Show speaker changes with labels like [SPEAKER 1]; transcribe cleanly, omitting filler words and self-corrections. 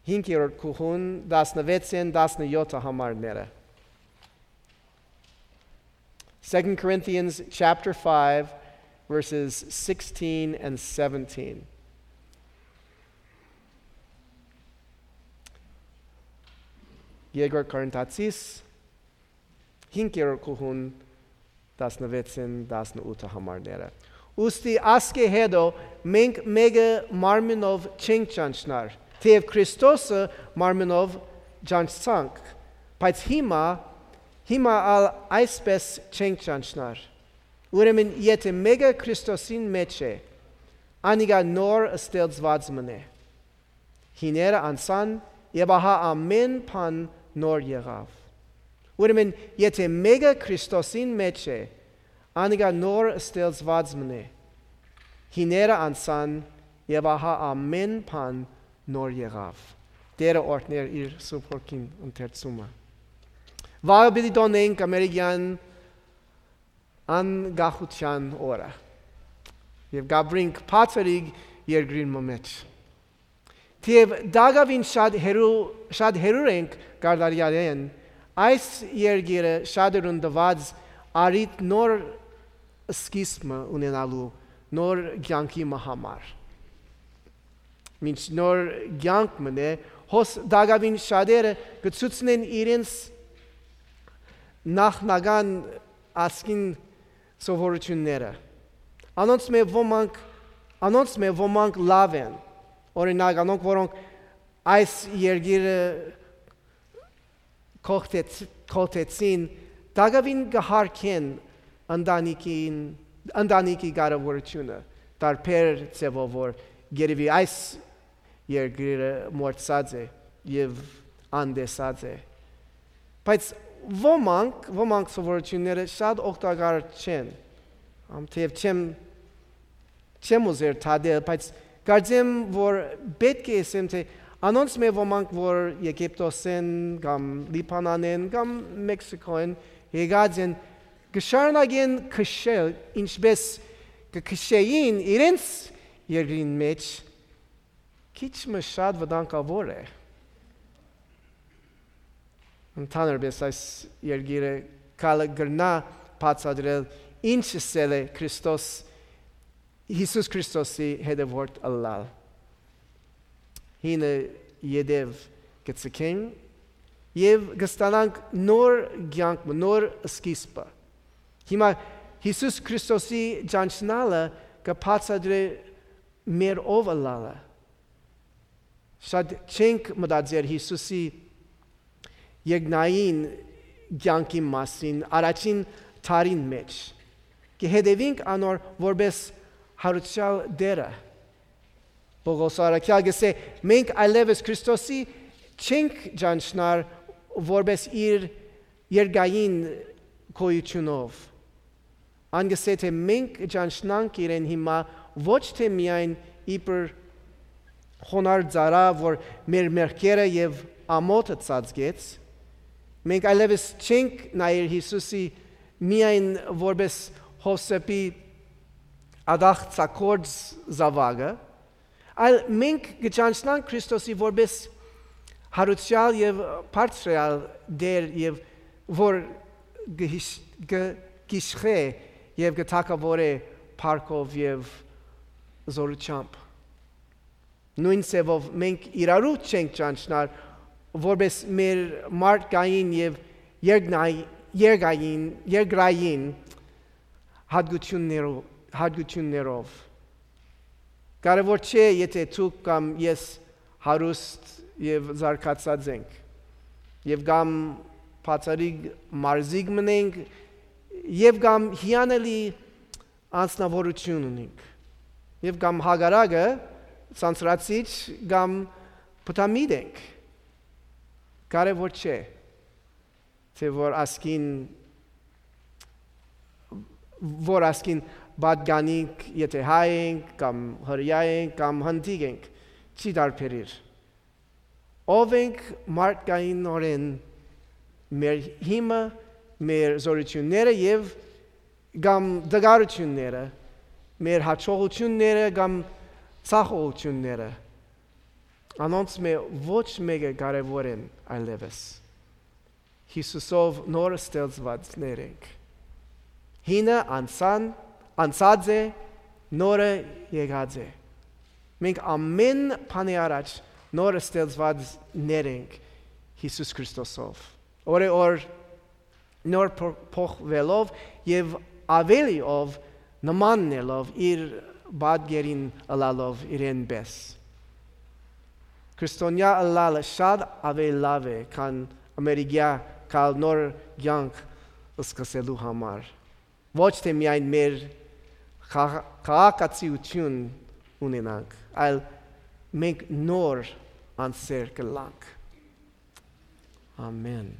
[SPEAKER 1] 5-րդ կողուն 16-17 համարները։ 2 Corinthians chapter 5 verses 16 and 17. Երկրորդ Կորինթացիս 5-րդ կողուն 16-18 համարները։ Ուստի ասկե հետո մենք մեկը մարմինով չենք ճանչնար, թեև Քրիստոսը մարմինով ճանչցանք, բայց հիմա այսպես չենք ճանչնար։ Ուրեմն եթե մեկը Քրիստոսին մեջ է, անիկա նոր ստեղծված մնե։ Հիները անցան եւ ահա ամեն բան նոր եղավ։ Ուրեմն եթե մեկը Քրիստոսին մեջ է, անիկա նոր ստեղծված մնե։ Հիները անցան եւ ահա ամեն բան նոր եղավ։ Տերը օրհներ իր սուրբ հոգին ընթերցումը։ Վաղը պիտի տոնենք ամերիկյան անկախության օրը եւ գաբրինք փաթերիկ երկրին մեջ։ Թեև դակավին շատ հերուր ենք գարդարյալեն, այս երկիրը շատերուն տված արիտ նոր սկիզբը ունենալու նոր կյանքի համար։ Մինչ նոր կյանք մնե, հոս դակավին շատերը կցուցնեն իրենց նախնական ասկին սովորությունները։ Անոնց մե ոմանք լավ են, օրինակ անոնք որոնք այս երկիրը կողտեցին, դակավին կհարգեն ընտանիքի կարևորությունը, տարբեր ձևով, որ գերևի այս երկիրը մոռացած է եւ անդեսած է։ Բայց ոմանք սովորությունները շատ օգտակար չեն, թեև չեմ ուզեր թադել, բայց կարծեմ, որ պետք է ասեմ, թե անոնց մե ոմանք, որ Եգիպտոսեն, կամ Լիբանանեն, կամ Մեքսիկոեն եկած են, կշարունակեն քշել, ինչպես կքշեին իրենց երկրին մեջ, քիչ մը շատ վտանգավոր է։ Ընդհանրապես այս երկիրը կալը գրնա բացատրել ինչ ասել է Հիսուս Քրիստոսի հետևորդ ըլլալ։ Հինը յետև կցկեն եւ կստանանք նոր կյանք, նոր սկիզբը։ Հիմա Հիսուս Քրիստոսի ճանչնալը կբացատրի մեր ով ըլլալը։ Շատ չենք մտածել Հիսուսի երկնային կյանքի մասին առաջին տարին մեջ։ Կհետևենք անոր որպես հարուցյալ դերը։ Պողոս առաքյալ գսե մենք այլևս Քրիստոսի չենք ճանչնար որպես իր երկային գոյությունով։ Անգսե թե մենք ճանչնանք իրեն հիմա ոչ թե միայն իբր խոնար ծառա, որ մեր մեղքերը եւ ամոթը ծածկեց, մենք այլևս չենք նայել Հիսուսի միայն որպես Հովսեփի ադաղցակորձ զավակը, այլ մենք կճանչնանք Քրիստոսի որպես հարուցյալ եւ բարձրյալ դեր եւ որ գիշխե եւ գտակավորե փառքով եւ զորությամբ։ Նույն սևով մենք իրարու չենք ճանչնար որպես մեր մարդկային եւ երկրային հատկություններով։ Կարևոր չէ, եթե դուք կամ ես հարուստ եւ զարգացած ենք, եւ կամ բացառիկ մարզիկ մնենք, եւ կամ հիանալի անձնավորություն ունենք, եւ կամ հագարակը ցանցրացիչ կամ պտամիդ ենք։ Կարևոր չէ, թե որ ասկին բադգանինք, եթե հայ ենք, կամ հրյա ենք, կամ հնդիկ ենք, չի դարբերիր։ Ով ենք մարդկայինորեն մեր հիմը, մեր զորությունները եւ կամ դգարությունները, մեր հաջողությունները կամ ցախողությունները։ Անոնց մե ոչ մեկը կարևոր են այլևս։ Հիսուսով նոր ստեղծվածներ ենք։ Հինը անցած է, նորը եկած է։ Մենք ամեն բանի առաջ նոր ստեղծվածներ ենք Հիսուս Քրիստոսով։ Օր նոր փոխվելով եւ ավելիով նմաննելով իր բادگերին ըլալով իրեն պես։ Քրիստոնյա ըլալը շատ ավելի լավ է, քան ամերիկյա կալ նոր կյանք սկսելու համար։ Ոչ թե միայն մեր քաղաքացիություն ունենանք, այլ մենք նոր անձեր կլանք։ Ամեն։